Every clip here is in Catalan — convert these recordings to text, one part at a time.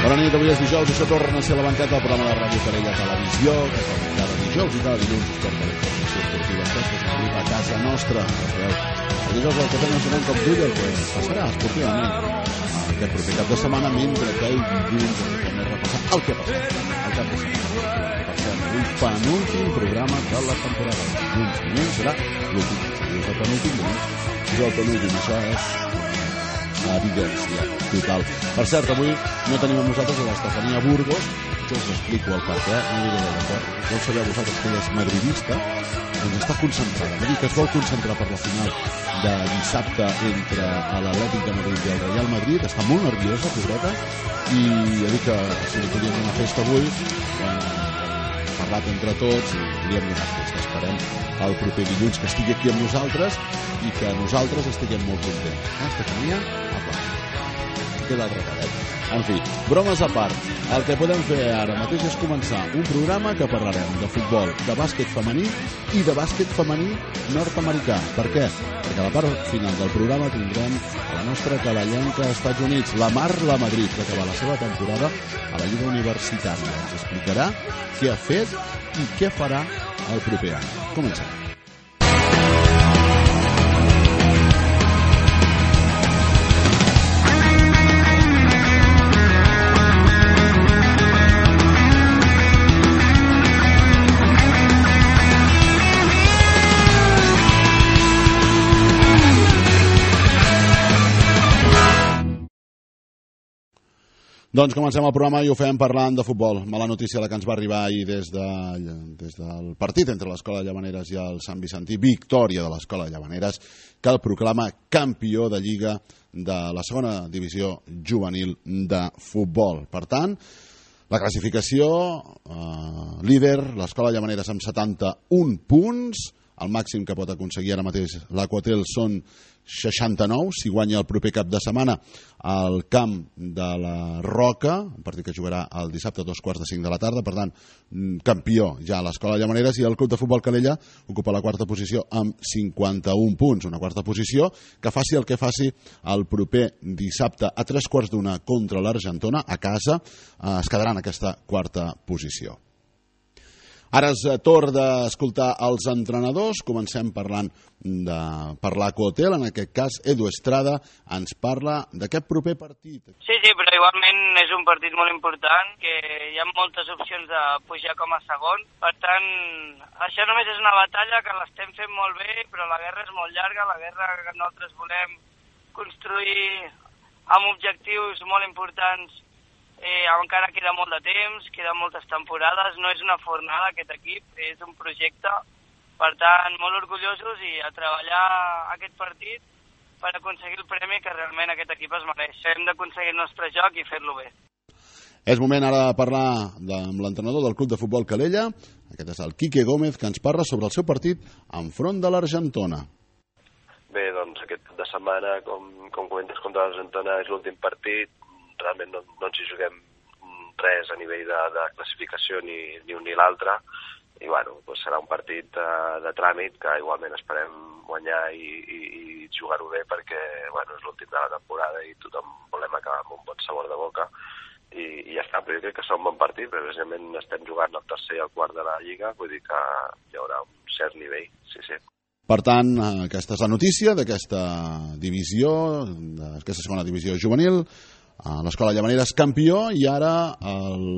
Bona nit, avui és dijous, això torna a ser la banqueta del programa de Ràdio Calella Televisió, que com cada dijous i cada dilluns us porta la informació esportiva que es distribuït a casa nostra. El dijous el que fem és donar com d'ull el que passarà esportivament aquest proper cap de setmana, mentre que el dilluns hem de repassar el que ha passat al cap de setmana. Un penúltim programa de la temporada. Dilluns serà l'últim. Si és el penúltim, és el penúltim. Això és evidència total. Per cert, avui no tenim amb nosaltres l'Estefania Burgos. Jo us explico el per què, no diré de l'acord. Ja ho sabeu vosaltres que ella és madridista, doncs està concentrada. Vull dir que es vol concentrar per la final de dissabte entre l'Atlètic de Madrid i el Real Madrid. Està molt nerviosa, pobreta, i ja dic que si li podíem donar festa avui, parlat entre tots i podríem donar festa. Esperem el proper dilluns que estigui aquí amb nosaltres i que nosaltres estiguem molt contents. Estefania, apa. Queda el recadet. En fi, bromes a part, el que podem fer ara mateix és començar un programa que parlarem de futbol, de bàsquet femení i de bàsquet femení nord-americà. Per què? Perquè a la part final del programa tindrem la nostra calellenca als Estats Units, la Marla Madrid, que acaba la seva temporada a la Lliga Universitària. Ens explicarà què ha fet i què farà el proper any. Comencem. Doncs comencem el programa i ho fem parlant de futbol. Mala notícia la que ens va arribar ahir des del partit entre l'Escola de Llavaneres i el Sant Vicentí. Victòria de l'Escola de Llavaneres, que el proclama campió de Lliga de la segona divisió juvenil de futbol. Per tant, la classificació, líder, l'Escola de Llavaneres amb 71 punts. El màxim que pot aconseguir ara mateix l'Aquatel són 69, si guanya el proper cap de setmana al camp de la Roca, un partit que jugarà el dissabte a 2:45 de la tarda. Per tant, campió ja a l'Escola de Llavaneres, i el Club de Futbol Calella ocupa la quarta posició amb 51 punts. Una quarta posició que faci el que faci el proper dissabte a 3:15 contra l'Argentona a casa, es quedarà en aquesta quarta posició. Ara és torn d'escoltar els entrenadors. Comencem parlant per l'Aquatel. En aquest cas, Edu Estrada ens parla d'aquest proper partit. Sí, però igualment és un partit molt important, que hi ha moltes opcions de pujar com a segon. Per tant, això només és una batalla que l'estem fent molt bé, però la guerra és molt llarga, la guerra que nosaltres volem construir amb objectius molt importants. Encara queda molt de temps, queden moltes temporades, no és una fornada aquest equip, és un projecte. Per tant, molt orgullosos i a treballar aquest partit per aconseguir el premi que realment aquest equip es mereix. Hem d'aconseguir el nostre joc i fer-lo bé. És moment ara de parlar amb l'entrenador del Club de Futbol Calella. Aquest és el Quique Gómez, que ens parla sobre el seu partit enfront de l'Argentona. Bé, doncs aquest cap de setmana, com comentes, contra l'Argentona és l'últim partit. Realment no ens hi juguem res a nivell de classificació ni un ni l'altre, i bueno, doncs serà un partit de tràmit que igualment esperem guanyar i jugar-ho bé, perquè bueno, és l'últim de la temporada i tothom volem acabar amb un bon sabor de boca i ja està. Però jo crec que serà un bon partit, perquè precisament estem jugant el tercer i el quart de la Lliga, vull dir que hi haurà un cert nivell, sí. Per tant, aquesta és la notícia d'aquesta divisió, d'aquesta segona divisió juvenil. L'Escola de Llavaneres campió, i ara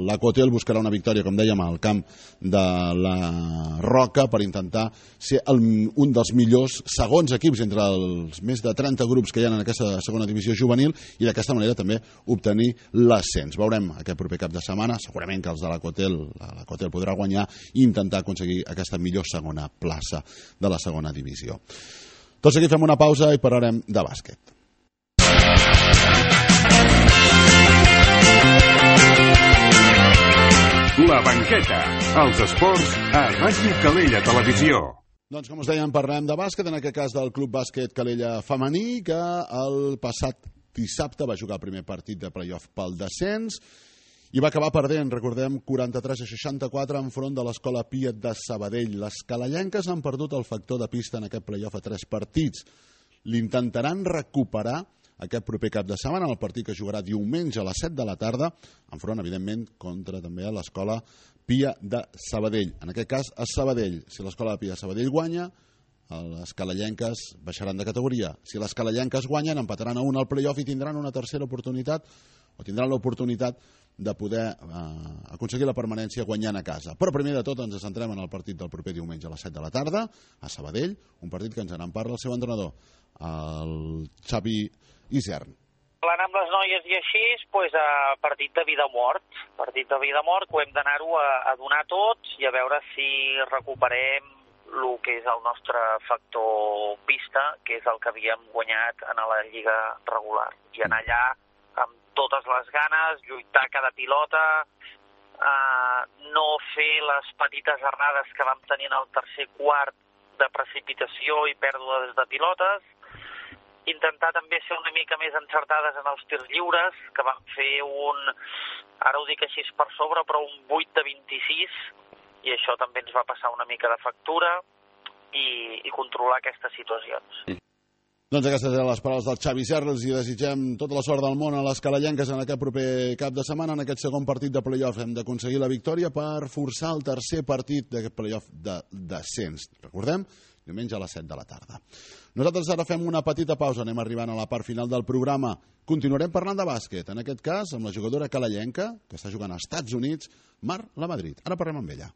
l'Aquatel buscarà una victòria, com dèiem, al camp de la Roca per intentar ser un dels millors segons equips entre els més de 30 grups que hi ha en aquesta segona divisió juvenil, i d'aquesta manera també obtenir l'ascens. Veurem aquest proper cap de setmana, segurament que els de l'Aquatel podrà guanyar i intentar aconseguir aquesta millor segona plaça de la segona divisió. Tot seguit fem una pausa i parlarem de bàsquet. La banqueta, els esports a Ràdio Calella Televisió. Doncs com us dèiem, parlem de bàsquet, en aquest cas del Club Bàsquet Calella femení, que el passat dissabte va jugar el primer partit de play-off pel descens i va acabar perdent, recordem, 43-64 enfront de l'Escola Piet de Sabadell. Les calellenques han perdut el factor de pista en aquest play-off a 3 partits. L'intentaran recuperar aquest proper cap de setmana, el partit que jugarà diumenge a les 7 de la tarda, enfront, evidentment, contra també a l'Escola Pia de Sabadell. En aquest cas, a Sabadell. Si l'Escola Pia de Sabadell guanya, les calellenques baixaran de categoria. Si les calellenques guanyen, empataran a 1 al play-off i tindran una tercera oportunitat, o tindran l'oportunitat de poder aconseguir la permanència guanyant a casa. Però primer de tot ens centrem en el partit del proper diumenge a les 7 de la tarda, a Sabadell, un partit que ens en parla el seu entrenador, el Xavi Isern. Parlant amb les noies i així, partit de vida o mort. Partit de vida o mort que ho hem d'anar-ho a donar tots i a veure si recuperem el que és el nostre factor pista, que és el que havíem guanyat en la lliga regular. I anar allà amb totes les ganes, lluitar cada pilota, no fer les petites errades que vam tenir en el tercer quart de precipitació i pèrdues de pilotes, intentar també ser una mica més encertades en els tirs lliures, que vam fer ara ho dic així per sobre, però un 8 de 26, i això també ens va passar una mica de factura, i controlar aquestes situacions. Doncs aquestes eren les paraules del Xavi Isern. Els desitgem tota la sort del món a les calellenques en aquest proper cap de setmana. En aquest segon partit de play-off hem d'aconseguir la victòria per forçar el tercer partit d'aquest play-off de descens. Recordem, diumenge a les 7 de la tarda. Nosaltres ara fem una petita pausa, anem arribant a la part final del programa. Continuarem parlant de bàsquet, en aquest cas amb la jugadora calellenca, que està jugant als Estats Units, Mar Lamadrid. Ara parlem amb ella.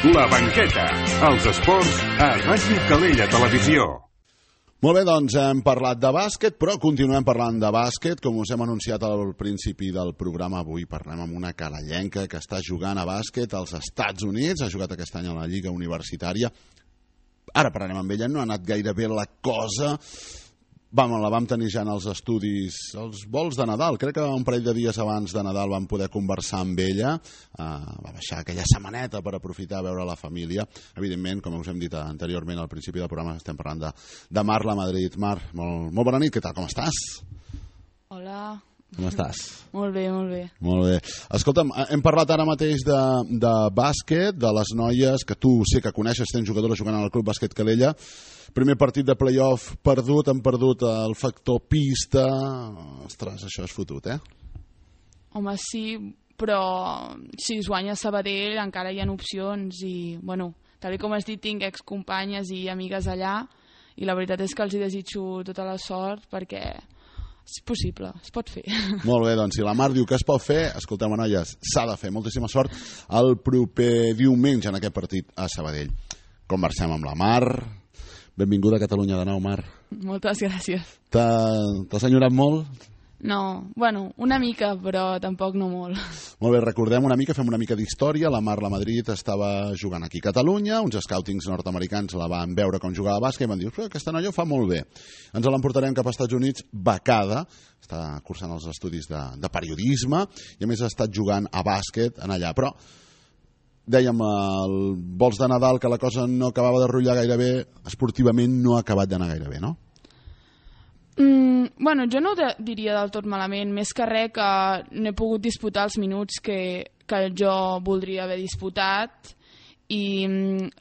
La banqueta, els esports a Ràdio Calella Televisió. Molt bé, doncs hem parlat de bàsquet, però continuem parlant de bàsquet. Com us hem anunciat al principi del programa, avui parlem amb una calellenca que està jugant a bàsquet als Estats Units. Ha jugat aquest any a la Lliga Universitària. Ara parlarem amb ella, no ha anat gaire bé la cosa. La vam tenir ja en els estudis, els vols de Nadal. Crec que un parell de dies abans de Nadal vam poder conversar amb ella. Va baixar aquella setmaneta per aprofitar a veure la família. Evidentment, com us hem dit anteriorment al principi del programa, estem parlant de Mar Lamadrid. Mar, molt bona nit, què tal, com estàs? Hola. Com estàs? Molt bé, molt bé. Molt bé. Escolta'm, hem parlat ara mateix de bàsquet, de les noies, que tu sé que coneixes, tens jugadores jugant al Club Bàsquet Calella. Primer partit de play-off perdut, han perdut el factor pista. Ostres, això és fotut, eh? Home, sí, però si es guanya Sabadell encara hi ha opcions i, bueno, tal com has dit, tinc excompanyes i amigues allà i la veritat és que els hi desitjo tota la sort perquè és possible, es pot fer. Molt bé, doncs si la Mar diu que es pot fer, escolteu, noies, s'ha de fer. Moltíssima sort el proper diumenge en aquest partit a Sabadell. Conversem amb la Mar. Benvinguda a Catalunya de nou, Mar. Moltes gràcies. T'has enyorat molt? No, bueno, una mica, però tampoc no molt. Molt bé, recordem una mica, fem una mica d'història. La Mar Lamadrid estava jugant aquí a Catalunya, uns scoutings nord-americans la van veure com jugava a bàsquet i van dir, aquesta noia ho fa molt bé. Ens l'emportarem cap als Estats Units becada, està cursant els estudis de periodisme i a més ha estat jugant a bàsquet en allà, però dèiem el vols de Nadal que la cosa no acabava de rotllar gaire bé, esportivament no ha acabat d'anar gaire bé, no? Bueno, jo no ho diria del tot malament, més que res que no he pogut disputar els minuts que jo voldria haver disputat i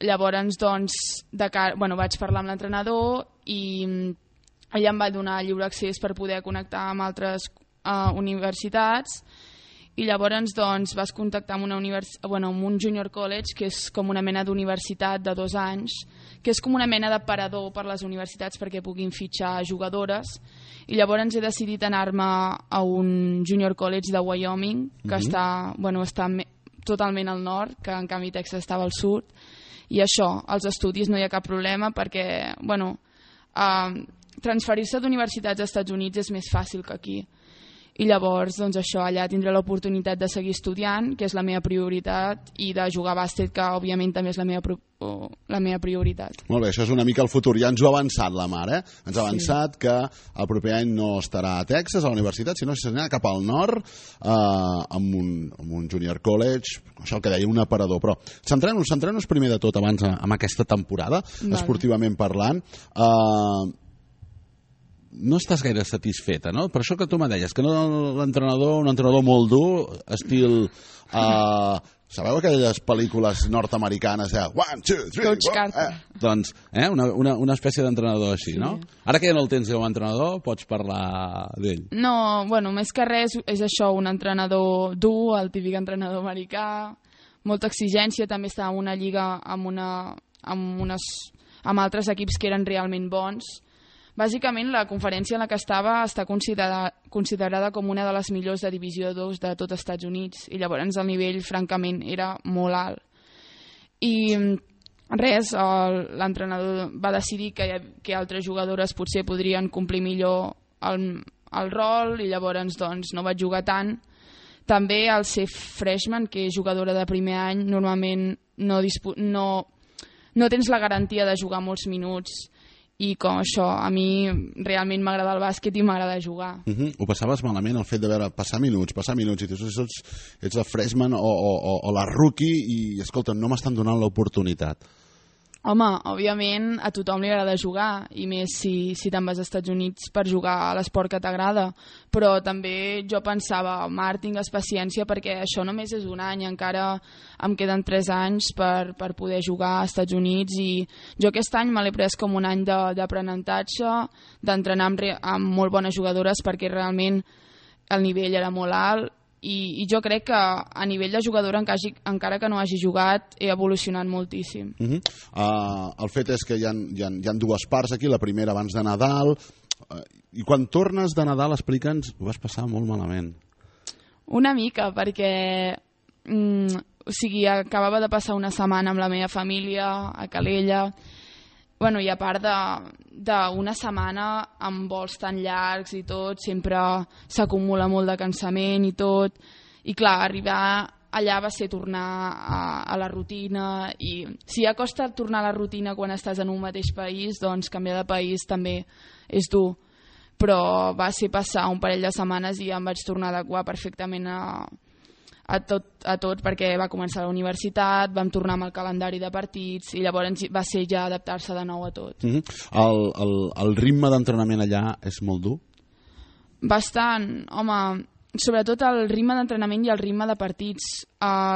llavors doncs vaig parlar amb l'entrenador i ella em va donar lliure accés per poder connectar amb altres universitats i llavors doncs vas contactar amb amb un junior college que és com una mena d'universitat de 2 anys, que és com una mena de parador per les universitats perquè puguin fitxar jugadores i llavors he decidit anar-me a un junior college de Wyoming que està totalment al nord, que en canvi Texas estava al sud i això, als estudis no hi ha cap problema perquè transferir-se d'universitats als Estats Units és més fàcil que aquí. I llavors, doncs això, allà tindré l'oportunitat de seguir estudiant, que és la meva prioritat, i de jugar a bàsquet, que òbviament també és la meva prioritat. Molt bé, això és una mica el futur. Ja ens ho ha avançat la Mar, eh? Ens ha avançat que el proper any no estarà a Texas, a la universitat, sinó que s'anirà cap al nord, amb un junior college, això el que deia, un aparador. Però centrem-nos primer de tot abans amb aquesta temporada, esportivament parlant. no estàs gaire satisfeta, no? Per això que tu me deies, que no l'entrenador, un entrenador molt dur, estil... sabeu aquelles pel·lícules nord-americanes de 1, 2, 3... Coach Carter. Doncs, una espècie d'entrenador així, no? Ara que ja no el tens com a entrenador, pots parlar d'ell. No, bueno, més que res és això, un entrenador dur, el típic entrenador americà, molta exigència, també està en una lliga amb altres equips que eren realment bons. Bàsicament, la conferència en la que estava està considerada com una de les millors de Divisió 2 de tot Estats Units, i llavors el nivell, francament, era molt alt. I res, l'entrenador va decidir que altres jugadores potser podrien complir millor el rol, i llavors doncs, no vaig jugar tant. També al ser freshman, que és jugadora de primer any, normalment no tens la garantia de jugar molts minuts, i com això, a mi realment m'agrada el bàsquet i m'agrada jugar. Ho passaves malament, el fet de veure passar minuts, i tu ets la freshman o la rookie i, escolta, no m'estan donant l'oportunitat. Home, òbviament a tothom li agrada jugar, i més si te'n vas als Estats Units per jugar a l'esport que t'agrada, però també jo pensava, Marc, tingues paciència perquè això només és un any, encara em queden 3 anys per poder jugar als Estats Units, i jo aquest any me l'he pres com un any d'aprenentatge, d'entrenar amb molt bones jugadores perquè realment el nivell era molt alt, i jo crec que a nivell de jugadora, encara que no hagi jugat, he evolucionat moltíssim. El fet és que hi ha 2 parts aquí, la primera abans de Nadal, i quan tornes de Nadal, explica'ns, ho vas passar molt malament. Una mica, perquè acabava de passar una setmana amb la meva família a Calella, bueno, i a part d'una setmana amb vols tan llargs i tot, sempre s'acumula molt de cansament i tot, i clar, arribar allà va ser tornar a la rutina, i si ja costa tornar a la rutina quan estàs en un mateix país, doncs canviar de país també és dur, però va ser passar un parell de setmanes i ja em vaig tornar a adequar perfectament a tot perquè va començar la universitat, vam tornar amb el calendari de partits i llavors va ser ja adaptar-se de nou a tot. El ritme d'entrenament allà és molt dur? Bastant, home, sobretot el ritme d'entrenament i el ritme de partits.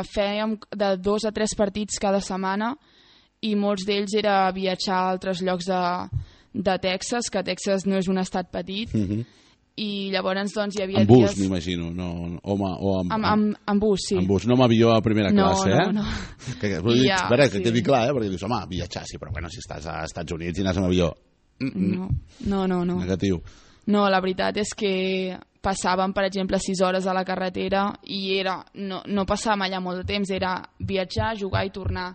Fèiem de 2 a 3 partits cada setmana i molts d'ells era viatjar a altres llocs de Texas, que Texas no és un estat petit, i llavors doncs hi havia dies... En bus, dies... m'imagino, no? En bus, sí. En bus, no amb avió a primera classe, eh? No. Que quedi clar, perquè dius, home, viatjar, sí, però bueno, si estàs a Estats Units i anar amb avió... No. Negatiu. No, la veritat és que passàvem, per exemple, 6 hores a la carretera i no passàvem allà molt de temps, era viatjar, jugar i tornar.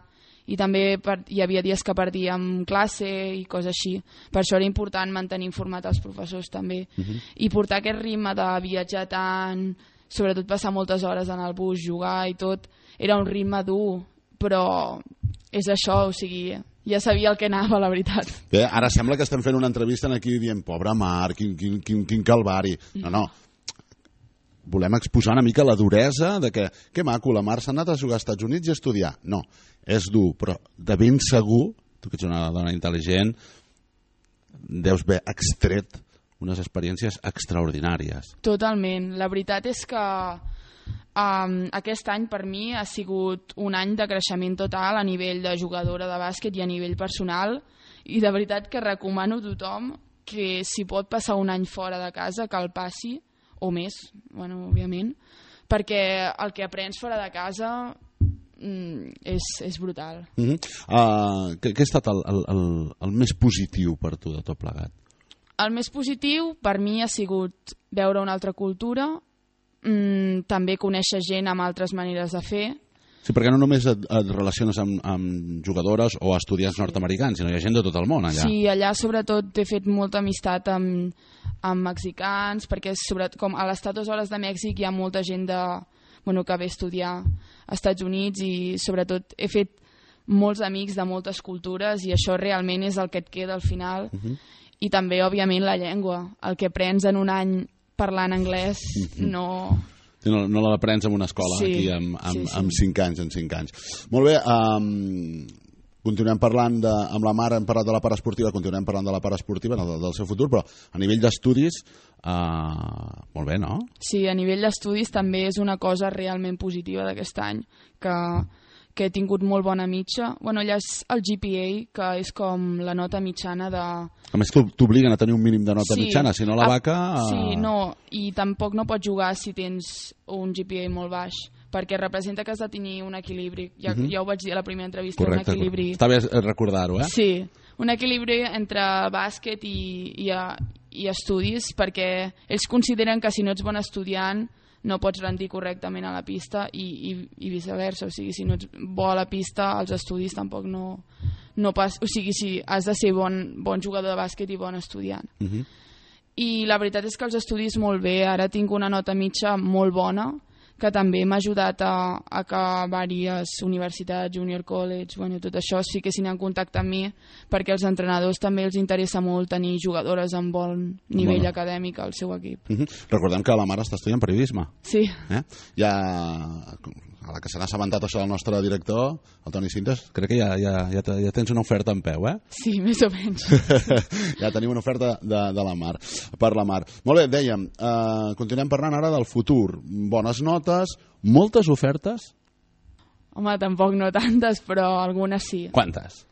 I també hi havia dies que perdíem classe i coses així. Per això era important mantenir informat els professors també. I portar aquest ritme de viatjar tant, sobretot passar moltes hores en el bus, jugar i tot, era un ritme dur, però és això, o sigui, ja sabia el que anava, la veritat. Bé, ara sembla que estem fent una entrevista aquí dient, pobre Marc, quin calvari. No. Volem exposar una mica la duresa de que maco, la Mar s'ha anat a jugar als Estats Units i a estudiar. No, és dur, però de ben segur, tu que ets una dona intel·ligent, deus haver extret unes experiències extraordinàries. Totalment. La veritat és que aquest any per mi ha sigut un any de creixement total a nivell de jugadora de bàsquet i a nivell personal, i de veritat que recomano a tothom que si pot passar un any fora de casa, que el passi, o més, bueno, òbviament, perquè el que aprens fora de casa és brutal. Què ha estat el més positiu per tu de tot plegat? El més positiu per mi ha sigut veure una altra cultura, també conèixer gent amb altres maneres de fer. Sí, perquè no només et relaciones amb jugadores o estudiants nord-americans, sinó hi ha gent de tot el món allà. Sí, allà sobretot he fet molta amistat amb mexicans, perquè com a les Estados Hores de Mèxic hi ha molta gent que ve a estudiar als Estats Units, i sobretot he fet molts amics de moltes cultures, i això realment és el que et queda al final. I també, òbviament, la llengua. El que aprens en un any parlant anglès no l'aprens en una escola, aquí amb 5 anys. Molt bé, continuem parlant amb la Mar, hem parlat de la part esportiva, continuem parlant de la part esportiva, del seu futur, però a nivell d'estudis, molt bé, no? Sí, a nivell d'estudis també és una cosa realment positiva d'aquest any, que he tingut molt bona mitja. Bueno, allà és el GPA, que és com la nota mitjana de... A més, t'obliguen a tenir un mínim de nota mitjana, si no la vaca... Sí, no, i tampoc no pots jugar si tens un GPA molt baix, perquè representa que has de tenir un equilibri. Ja ho vaig dir a la primera entrevista, correcte, un equilibri... Està bé recordar-ho, eh? Sí, un equilibri entre bàsquet i estudis, perquè ells consideren que si no ets bon estudiant no pots rendir correctament a la pista i viceversa, o sigui, si no ets bo a la pista, als estudis tampoc no pas, o sigui, si has de ser bon jugador de bàsquet i bon estudiant. I la veritat és que els estudis molt bé, ara tinc una nota mitja molt bona, que també m'ha ajudat a que diverses universitats, junior college, bueno, tot això es fiquessin en contacte amb mi, perquè als entrenadors també els interessa molt tenir jugadores amb bon nivell acadèmic al seu equip. Recordem que la Mar està estudiant periodisme. Sí. Ja, a la que se n'ha assabentat això del nostre director, el Toni Cintas, crec que ja tens una oferta en peu, eh? Sí, més o menys. Ja tenim una oferta de la Mar, per la Mar. Molt bé, dèiem, continuem parlant ara del futur. Bones notes, moltes ofertes? Home, tampoc no tantes, però algunes sí. Quantes?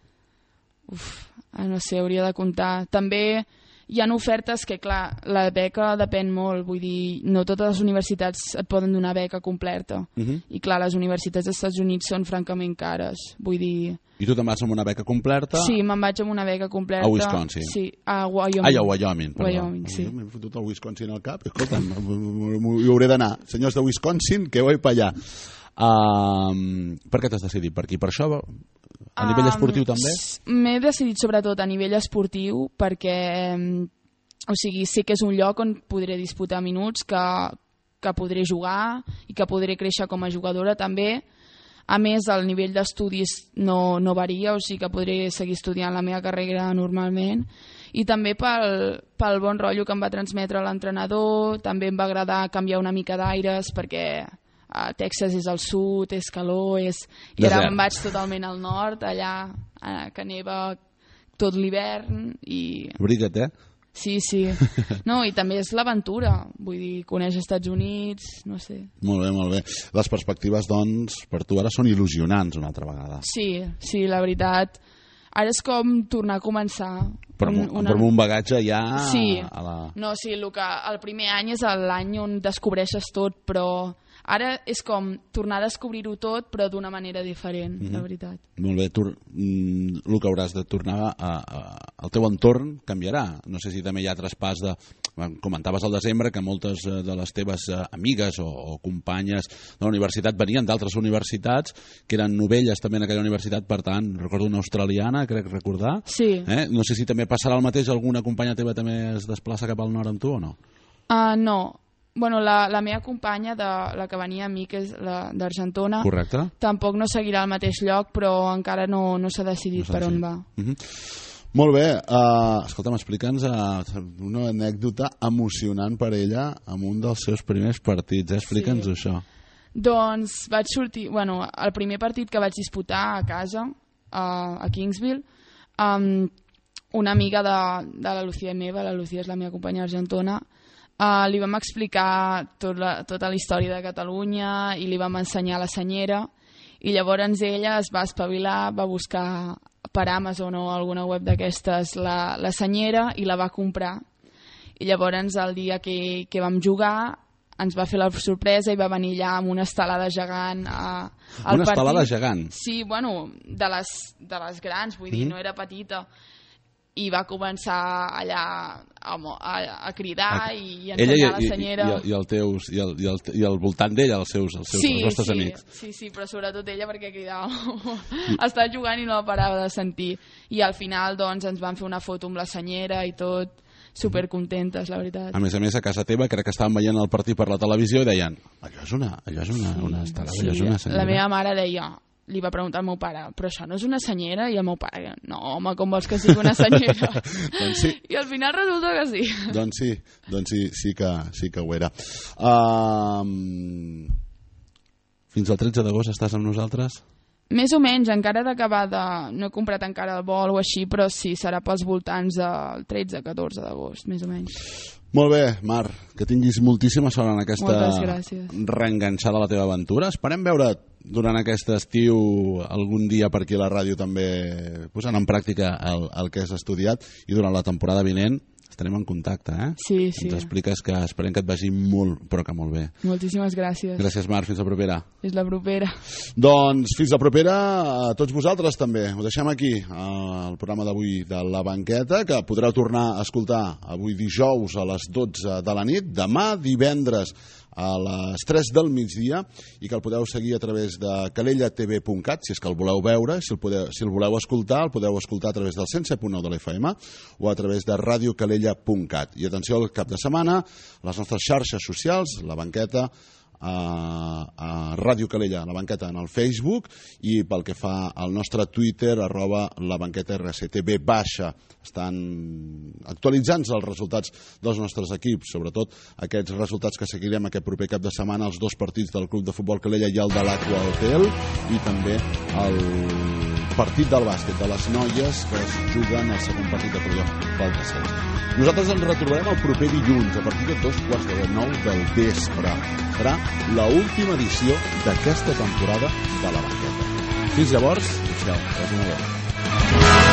No sé, hauria de comptar. També hi ha ofertes que, clar, la beca depèn molt, vull dir, no totes les universitats et poden donar beca completa. I clar, les universitats dels Estats Units són francament cares, vull dir... I tu te'n vas amb una beca completa? Sí, me'n vaig amb una beca completa. A Wisconsin? Sí, a Wyoming. A Wyoming, perdó. Wyoming, sí. M'he fotut el Wisconsin al cap, escolta'm, hi hauré d'anar. Senyors de Wisconsin, que vull per allà. Per què t'has decidit per aquí? Per això, a nivell esportiu també? M'he decidit sobretot a nivell esportiu perquè, o sigui, sé que és un lloc on podré disputar minuts, que podré jugar i que podré créixer com a jugadora també. A més, el nivell d'estudis no varia, o sigui que podré seguir estudiant la meva carrera normalment. I també pel bon rotllo que em va transmetre l'entrenador, també em va agradar canviar una mica d'aires perquè... a Texas és al sud, és calor, i ara em vaig totalment al nord, allà que neva tot l'hivern i... Abriga't, eh? Sí. No, i també és l'aventura, vull dir, conèixer Estats Units, no sé. Molt bé. Les perspectives, doncs, per tu ara són il·lusionants una altra vegada. Sí, la veritat. Ara és com tornar a començar. Però amb un bagatge ja... Sí, el primer any és l'any on descobreixes tot, però... Ara és com tornar a descobrir-ho tot, però d'una manera diferent, la veritat. Molt bé, el que hauràs de tornar al teu entorn canviarà. No sé si també hi ha traspàs de... Comentaves al desembre que moltes de les teves amigues o companyes de la universitat venien d'altres universitats, que eren novelles també en aquella universitat, per tant, recordo una australiana, crec recordar. Sí. No sé si també passarà el mateix, alguna companya teva també es desplaça cap al nord amb tu o no? No. Bueno, la meva companya, la que venia amb mi, que és d'Argentona, correcte, tampoc no seguirà al mateix lloc, però encara no s'ha decidit per on va. Molt bé, escolta'm, explica'ns una anècdota emocionant per ella amb un dels seus primers partits, explica'ns això. Doncs vaig sortir, el primer partit que vaig disputar a casa, a Kingsville, una amiga de la Lucía meva, la Lucía és la meva companya argentona, li vam explicar tota la història de Catalunya i li vam ensenyar la senyera i llavors ella es va espavilar, va buscar per Amazon o alguna web d'aquestes la senyera i la va comprar i llavors el dia que vam jugar ens va fer la sorpresa i va venir allà amb una estelada gegant al partit. Una estelada gegant? Sí, de les grans, vull dir, no era petita. I va començar allà a cridar i ensenyar la senyera. I al voltant d'ella, els vostres amics. Sí, però sobretot ella perquè cridava. Estava jugant i no la parava de sentir. I al final doncs, ens van fer una foto amb la senyera i tot, supercontentes, la veritat. A més, a casa teva, crec que estaven veient el partit per la televisió i deien, allò és una estelada, allò és una senyera. La meva mare deia... Li va preguntar al meu pare, però això no és una senyera? I el meu pare, no, home, com vols que sigui una senyera? Doncs sí. I al final resulta que sí. Doncs sí que ho era. Fins al 13 d'agost estàs amb nosaltres? Més o menys, encara d'acabar de... No he comprat encara el vol o així, però sí, serà pels voltants del 13-14 d'agost, més o menys. Molt bé, Mar, que tinguis moltíssima sort en aquesta reenganxada a la teva aventura. Esperem veure durant aquest estiu algun dia per aquí a la ràdio també posant en pràctica el que has estudiat, i durant la temporada vinent estarem en contacte, eh? Sí, sí. Ens expliques que esperem que et vagi molt, però que molt bé. Moltíssimes gràcies. Gràcies, Marc. Fins la propera. Fins la propera. Doncs fins la propera a tots vosaltres també. Ho deixem aquí, el programa d'avui de La Banqueta, que podreu tornar a escoltar avui dijous a les 12 de la nit, demà divendres a les 3 del migdia, i que el podeu seguir a través de calellatv.cat, si és que el voleu veure. Si el voleu escoltar, el podeu escoltar a través del 107.9 de l'FM o a través de radiocalella.cat. I atenció al cap de setmana, les nostres xarxes socials, La Banqueta, a Ràdio Calella, La Banqueta en el Facebook, i pel que fa al nostre Twitter, @labanquetarctv baixa. Estan actualitzant-se els resultats dels nostres equips, sobretot aquests resultats que seguirem aquest proper cap de setmana, els 2 partits del Club de Futbol Calella i el de l'Aqua Hotel, i també el partit del bàsquet de les noies, que es juguen el segon partit de Pel Tercer. Nosaltres ens retrobarem el proper dilluns a partir de 9:15 del vespre. Serà l'última edició d'aquesta temporada de La Banqueta. Fins llavors, adéu, que vagi molt bé.